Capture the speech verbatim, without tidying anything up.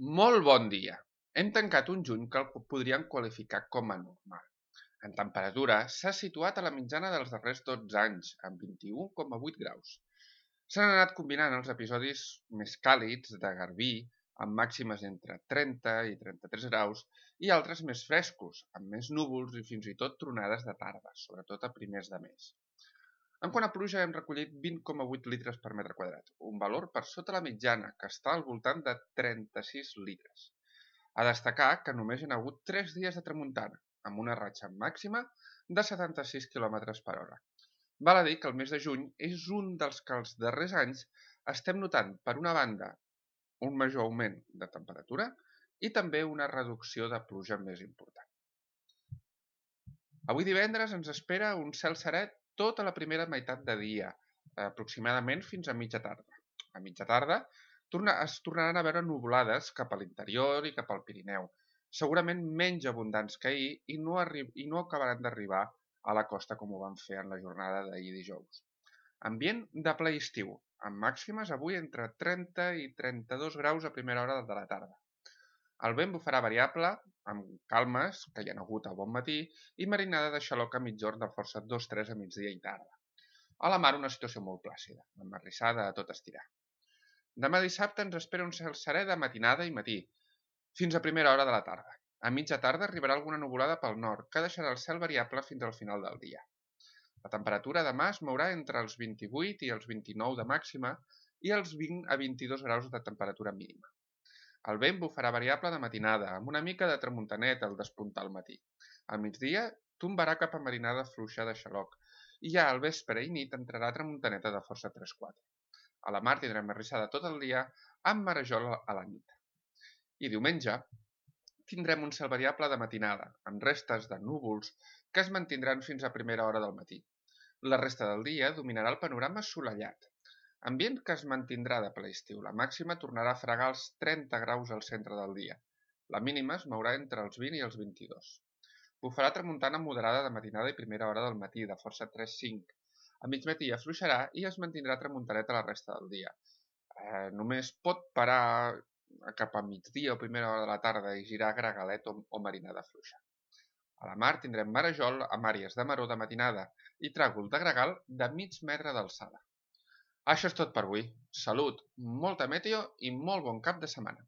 Molt bon dia! Hem tancat un juny que el podríem qualificar com a normal. En temperatura, s'ha situat a la mitjana dels darrers dotze anys, amb vint-i-u coma vuit graus. S'han anat combinant els episodis més càlids de garbí, amb màximes entre trenta i trenta-tres graus, i altres més frescos, amb més núvols i fins i tot tronades de tarda, sobretot a primers de mes. En quant a pluja, hem recollit vint coma vuit litres per metre quadrat, un valor per sota la mitjana, que està al voltant de trenta-sis litres. A destacar que només hi ha hagut tres dies de tramuntana, amb una ratxa màxima de setanta-sis quilòmetres per hora. Val a dir que el mes de juny és un dels que els darrers anys estem notant, per una banda, un major augment de temperatura i també una reducció de pluja més important. Avui divendres ens espera un cel serè tota la primera meitat de dia, aproximadament fins a mitja tarda. A mitja tarda es tornaran a veure nuvolades cap a l'interior i cap al Pirineu, segurament menys abundants que ahir i no, i no acabaran d'arribar a la costa com ho van fer en la jornada d'ahir dijous. Ambient de ple estiu, amb màximes avui entre trenta i trenta-dos graus a primera hora de la tarda. El vent bufarà variable, amb calmes, que hi ha hagut a bon matí, i marinada de xaloc a mitjorn de força dos tres a migdia i tarda. A la mar una situació molt plàcida, amb marrissada a tot estirar. Demà dissabte ens espera un cel serè de matinada i matí, fins a primera hora de la tarda. A mitja tarda arribarà alguna nuvolada pel nord, que deixarà el cel variable fins al final del dia. La temperatura demà es mourà entre els vint-i-vuit i els vint-i-nou de màxima i els vint a vint-i-dos graus de temperatura mínima. El vent bufarà variable de matinada, amb una mica de tramuntanet al despuntar al matí. Al migdia tombarà cap a marinada fluixa de xaloc i ja al vespre i nit entrarà tramuntaneta de força tres quatre. A la mar tindrem marrissada tot el dia amb marejol a la nit. I diumenge tindrem un cel variable de matinada, amb restes de núvols que es mantindran fins a primera hora del matí. La resta del dia dominarà el panorama assolellat. Ambient que es mantindrà de ple estiu. La màxima tornarà a fregar els trenta graus al centre del dia. La mínima es mourà entre els vint i els vint-i-dos. Bufarà tramuntana moderada de matinada i primera hora del matí, de força tres cinc. A mig matí afluixarà i es mantindrà tramuntaneta la resta del dia. Eh, només pot parar cap a migdia o primera hora de la tarda i girar gregalet o, o marinada fluixa. A la mar tindrem marejol amb àrees de maror de matinada i tràgol de gregal de mig metre d'alçada. Això és tot per avui. Salut, molta meteo i molt bon cap de setmana.